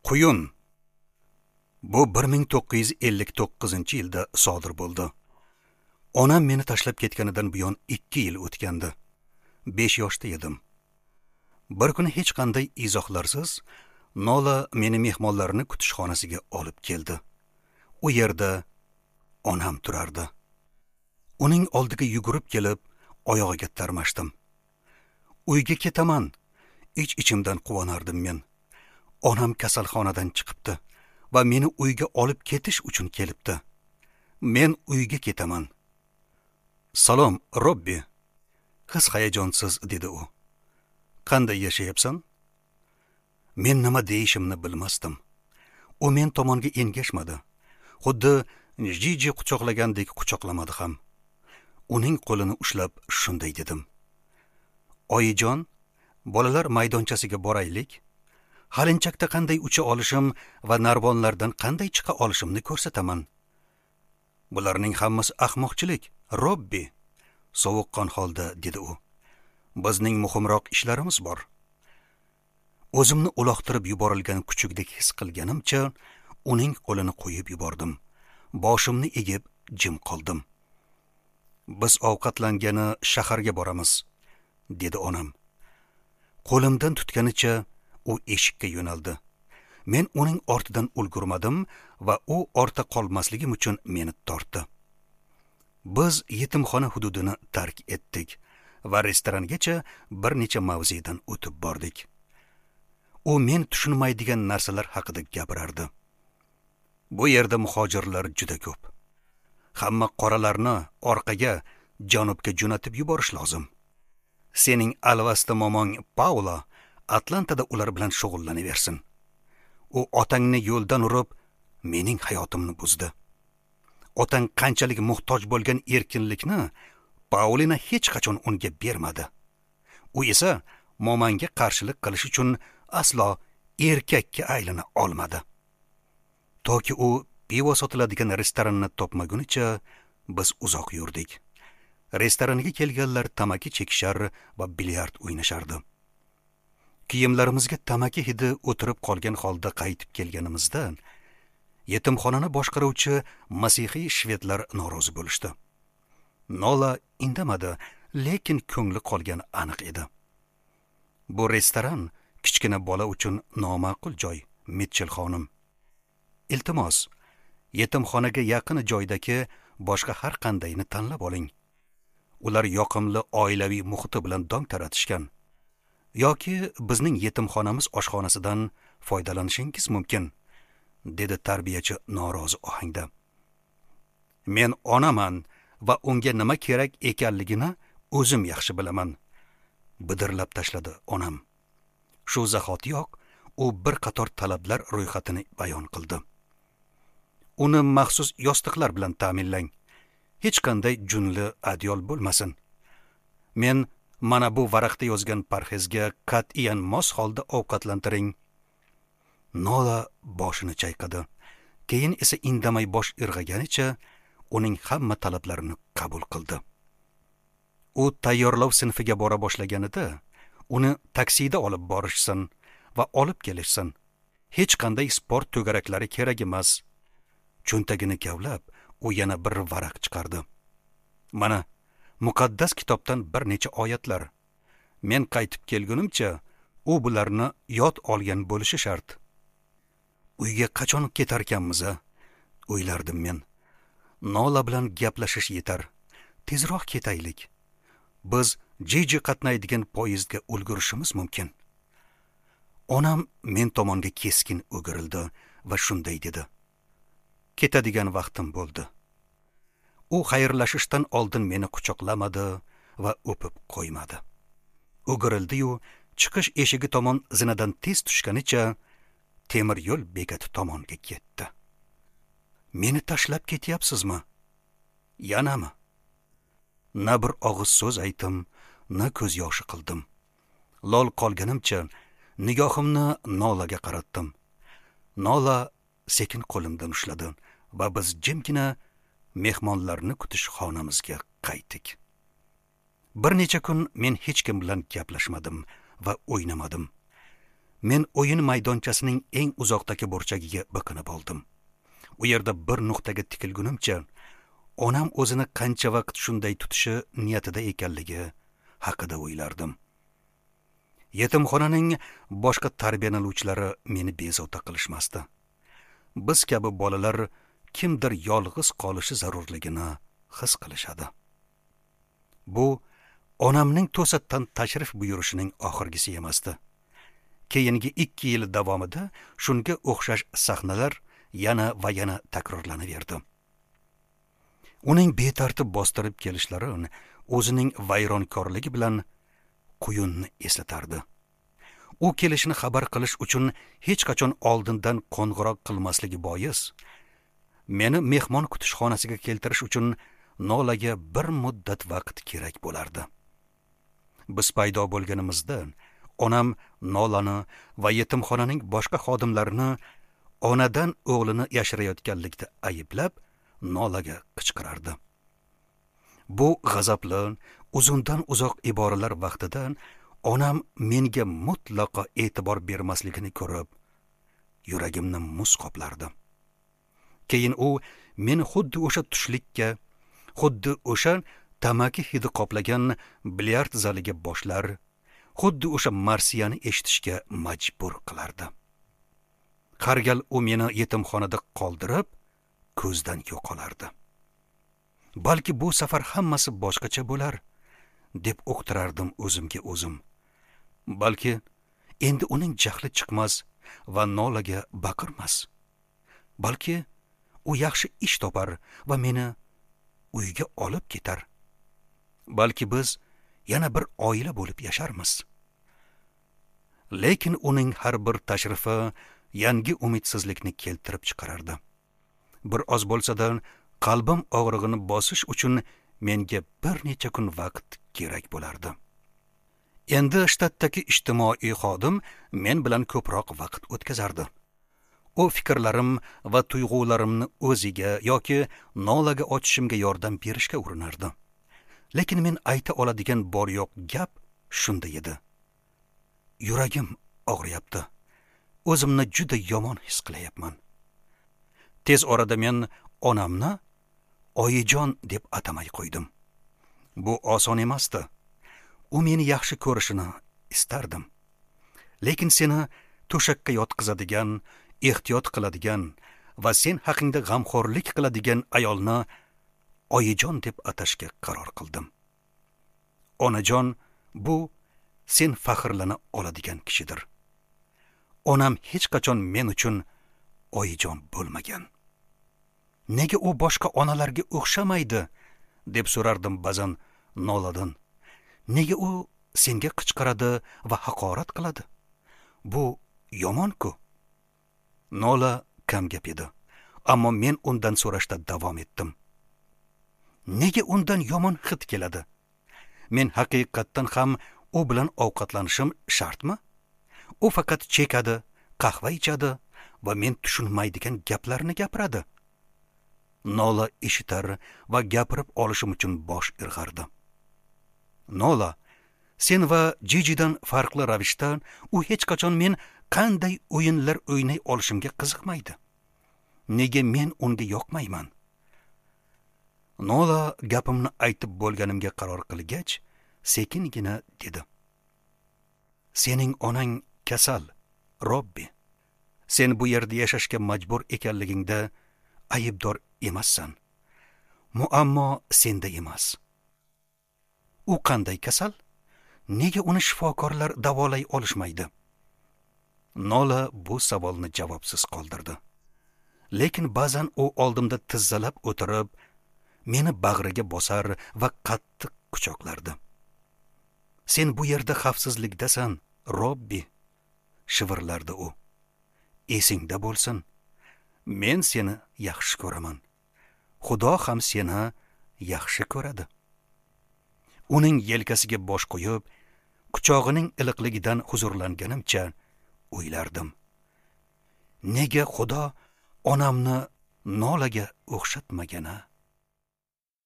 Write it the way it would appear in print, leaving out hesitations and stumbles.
Quyun. Bu 1959-yilda sodir bo'ldi. Onam meni tashlab ketganidan buyon 2 yil o'tgandi. 5 yoshda edim. Bir kuni hech qanday izohlarsiz Nola meni mehmonlarni kutish xonasiga olib keldi. U yerda onam turardi. Uning oldiga yugurib kelib, oyog'iga tarmashdim. Uyga ketaman, ich-ichimdan quvonardim men. Onam kasalxonadan chiqibdi va meni uyga olib ketish uchun kelibdi. Men uyga ketaman. "Salom, Robbi." His hayajonsiz dedi u. "Qanday yashayapsan?" Men nima deyishimni bilmasdim. U men tomonga engashmadi. Xuddi Jiji quchoqlagandek quchoqlamadi ham. Uning qo'lini ushlab shunday dedim: "Oyijon, bolalar maydonchasiga boraylik. Halinchakda qanday ucha olishim va narvonlardan qanday chiqa olishimni ko'rsataman." "Bularning hammasi ahmoqchilik, Robbi," sovuqqon holda dedi u. "Bizning muhimroq ishlarimiz bor." O'zimni uloqtirib yuborilgan kuchukdek his qilganimcha uning qo'lini qo'yib yubordim. Boshimni egib jim qoldim. "Biz ovqatlangani shaharga boramiz," dedi onam. Qo'limdan tutganicha u eshikka yo'naldi. Men uning ortidan ulgurmadim va u ortda qolmasligim uchun meni tortdi. Biz yetimxona hududini tark etdik va restorangacha bir necha mavzedan o'tib bordik. U men tushunmaydigan narsalar haqida gapirardi. Bu yerda muhojirlar juda ko'p. Hamma qoralarni orqaga, janubga jo'natib yuborish lozim. Sening alvasti momong Paula Atlantada ular bilan shug'ullanaversin. U otangni yo'ldan urib, mening hayotimni buzdi. Otang qanchalik muhtoj bo'lgan erkinlikni Paulina hech qachon unga bermadi. U esa momangga qarshilik qilish uchun aslo erkakka aylana olmadi. Toki u pivo sotiladigan restoranni topmagunicha biz uzoq yurdik. Restoranga kelganlar tamaki chekishar va bilyard o'ynashardi. Kiyimlarimizga tamaki hidi o'tirib qolgan holda qaytib kelganimizda yetimxonani boshqaruvchi masihiy shvedlar norozi bo'lishdi. Nola indamadi, lekin ko'ngli qolgani aniq edi. Bu restoran kichkina bola uchun noma'qul joy, Mitchell xonim. Iltimos, yetimxonaga yaqin joydagi boshqa har qandayini tanlab oling. Ular yoqimli oilaviy muhiti bilan dong taratishgan. Yoki bizning yetimxonamiz oshxonasidan foydalanishingiz mumkin, dedi tarbiyachi norozi ohangda. Men onaman va unga nima kerak ekanligini o'zim yaxshi bilaman, bidirlab tashladi onam. Shu zahotiyoq u bir qator talablar ro'yxatini bayon qildi. Uni maxsus yostiqlar bilan ta'minlang. Hech qanday junli adyol bo'lmasin. Men mana bu varaqda yozgan parhezga qat'iyan mos holda ovqatlantiring. Nola boshini chayqadi. Keyin esa indamay bosh irg'aganicha uning hamma talablarini qabul qildi. U tayyorlov sinfiga bora boshlaganida uni taksida olib borishsin va olib kelishsin. Hech qanday sport to'garaklari kerak emas. Cho'ntagini kavlab, u yana bir varaq chiqardi. Mana muqaddas kitobdan bir necha oyatlar. Men qaytib kelgunimcha u bularni yod olgan bo'lishi shart. Uyga qachon ketarkanmiz-a? O'ylardim men. Nola bilan gaplashish yetar. Tezroq ketaylik. Biz Jiji qatnaydigan poyezdga ulgurishimiz mumkin. Onam men tomonga keskin o'girildi va shunday dedi: "Ketadigan vaqtim bo'ldi." U xayrlashishdan oldin meni quchoqlamadi va o'pib qo'ymadi. O'girildi-yu, chiqish eshigi tomon zinadan tez tushganicha temir yo'l bekati tomonga ketdi. Meni tashlab ketyapsizmi? Yanami? Na bir og'iz so'z aytdim, na ko'z yoshi qildim. Lol qolganimcha nigohimni Nolaga qaratdim. Nola sekin qo'limdan ushladi va biz jimgina mehmonlarni kutish xonamizga qaytdik. Bir necha kun men hech kim bilan gaplashmadim va o'ynamadim. Men o'yin maydonchasining eng uzoqdagi burchagiga biqinib oldim. U yerda bir nuqtaga tikilgunimcha onam o'zini qancha vaqt shunday tutishi niyatida ekanligi haqida o'ylardim. Yetimxonaning boshqa tarbiyalanuvchilari meni bezovta qilishmasdi. Biz kabi bolalar kimdir yolg'iz qolishi zarurligini his qilishadi. Bu onamning to'satdan tashrif buyurishining oxirgisi emasdi. Keyingi 2 yil davomida shunga o'xshash sahnalar yana va yana takrorlanaverdi. Uning betartib bostirib kelishlari o'zining vayronkorligi bilan quyunni eslatardi. U kelishini xabar qilish uchun hech qachon oldindan qo'ng'iroq qilmasligi bois, meni mehmon kutish xonasiga keltirish uchun Nolaga bir muddat vaqt kerak bo'lardi. Biz paydo bo'lganimizda onam Nolani va yetimxonaning boshqa xodimlarini onadan o'g'lini yashirayotganlikda ayblab Nolaga qichqirardi. Bu g'azabli, uzundan uzoq iboralar vaqtida onam menga mutlaqo e'tibor bermasligini ko'rib, yuragimni muz qoplardi. Keyin u meni xuddi o'sha tushlikka, xuddi o'sha tamaki hidi qoplagan bilyard zaliga boshlar, xuddi o'sha marsiyani eshitishga majbur qilardi. Har gal u meni yetimxonada qoldirib, ko'zdan yo'qolardi. Balki bu safar hammasi boshqacha bo'lar, deb uqtirardim o'zimga o'zim. Balki endi uning jahli chiqmas va Nolaga baqirmas. Balki u yaxshi ish topar va meni uyga olib ketar. Balki biz yana bir oila bo'lib yasharmiz. Lekin uning har bir tashrifi yangi umidsizlikni keltirib chiqarardi. Bir oz bo'lsa-da qalbim og'rig'ini bosish uchun menga bir necha kun vaqt kerak bo'lardi. Endi shtatdagi ijtimoiy xodim men bilan ko'proq vaqt o'tkazardi. U fikrlarim va tuyg'ularimni o'ziga yoki Nolaga ochishimga yordam berishga urinardi. Lekin men ayta oladigan bor yo'q gap shunda edi. Yuragim og'riyapti. O'zimni juda yomon his qilayapman. Tez orada men onamni oyijon deb atamay qo'ydim. Bu oson emasdi. U meni yaxshi ko'rishini istardim. Lekin seni to'shakka yotqizadigan, ehtiyot qiladigan va sen haqingda g'amxo'rlik qiladigan ayolni oyijon deb atashga qaror qildim. Onajon bu sen faxrlana oladigan kishidir. Onam hech qachon men uchun oyijon bo'lmagan. Nega u boshqa onalarga o'xshamaydi, deb so'rardim ba'zan Noladan. Nega u senga qichqiradi va haqorat qiladi? Bu yomon-ku. Nola kam gap edi, ammo men undan so'rashda davom etdim. Nega undan yomon hid keladi? Men haqiqatdan ham u bilan ovqatlanishim shartmi? U faqat chekadi, qahva ichadi va men tushunmaydigan gaplarni gapiradi. Nola eshitar va gapirib olishim uchun bosh irg'ardi. Nola, sen va Jijidan farqli ravishda u hech qachon men qanday o'yinlar o'ynay olishimga qiziqmaydi. Nega men unga yoqmayman? Nola gapimni aytib bo'lganimga qaror qilgach, sekingina dedi. Sening onang kasal, Robbi. Sen bu yerda yashashga majbur ekanligingda aybdor emassan. Muammo senda emas. U qanday kasal? Nega uni shifokorlar davolay olishmaydi? Nola bu savolni javobsiz qoldirdi. Lekin ba'zan u oldimda tizzalab o'tirib, meni bag'riga bosar va qattiq quchoqlardi. Sen bu yerda xavfsizlikdasan, Robbi, shivirlardi u. Esingda bo'lsin. Men seni yaxshi ko'raman. Xudo ham seni yaxshi ko'radi. Uning yelkasiga bosh qo'yib, quchog'ining iliqligidan huzurlanganimcha o'ylardim. Nega Xudo onamni Nolaga o'xshatmagana?